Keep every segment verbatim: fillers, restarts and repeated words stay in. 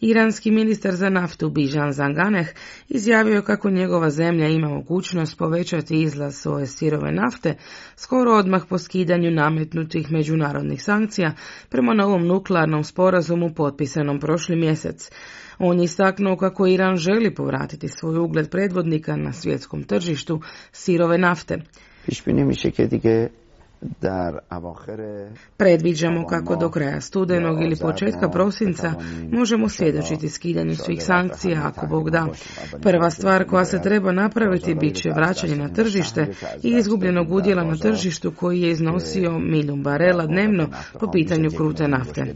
Iranski ministar za naftu Bijan Zanganeh izjavio kako njegova zemlja ima mogućnost povećati izlaz svoje sirove nafte skoro odmah po skidanju nametnutih međunarodnih sankcija prema novom nuklearnom sporazumu potpisanom prošli mjesec. On je istaknuo kako Iran želi povratiti svoj ugled predvodnika na svjetskom tržištu sirove nafte. Predviđamo kako do kraja studenog ili početka prosinca možemo svjedočiti skidanju svih sankcija, ako Bog da. Prva stvar koja se treba napraviti bit će vraćanje na tržište i izgubljenog udjela na tržištu koji je iznosio milijun barela dnevno po pitanju krute nafte.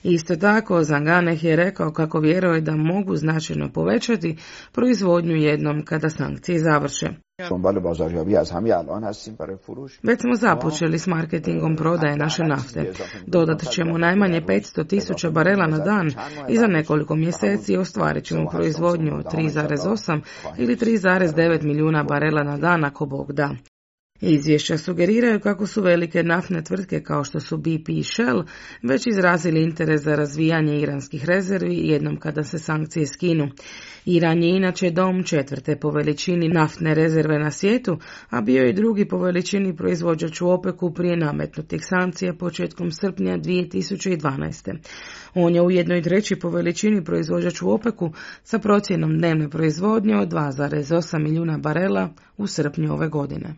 Isto tako, Zanganeh je rekao kako vjeruje da mogu značajno povećati proizvodnju jednom kada sankcije završe. Već smo započeli s marketingom prodaje naše nafte. Dodat ćemo najmanje petsto tisuća barela na dan i za nekoliko mjeseci ostvarit ćemo proizvodnju od tri zarez osam ili tri zarez devet milijuna barela na dan, ako Bog da. Izvješća sugeriraju kako su velike naftne tvrtke kao što su B P i Shell već izrazili interes za razvijanje iranskih rezervi jednom kada se sankcije skinu. Iran je inače dom četvrte po veličini naftne rezerve na svijetu, a bio je drugi po veličini proizvođač u OPEC-u prije nametnutih sankcija početkom srpnja dvije tisuće dvanaeste. On je ujedno i treći po veličini proizvođač u OPEC-u sa procjenom dnevne proizvodnje od dva zarez osam milijuna barela u srpnju ove godine.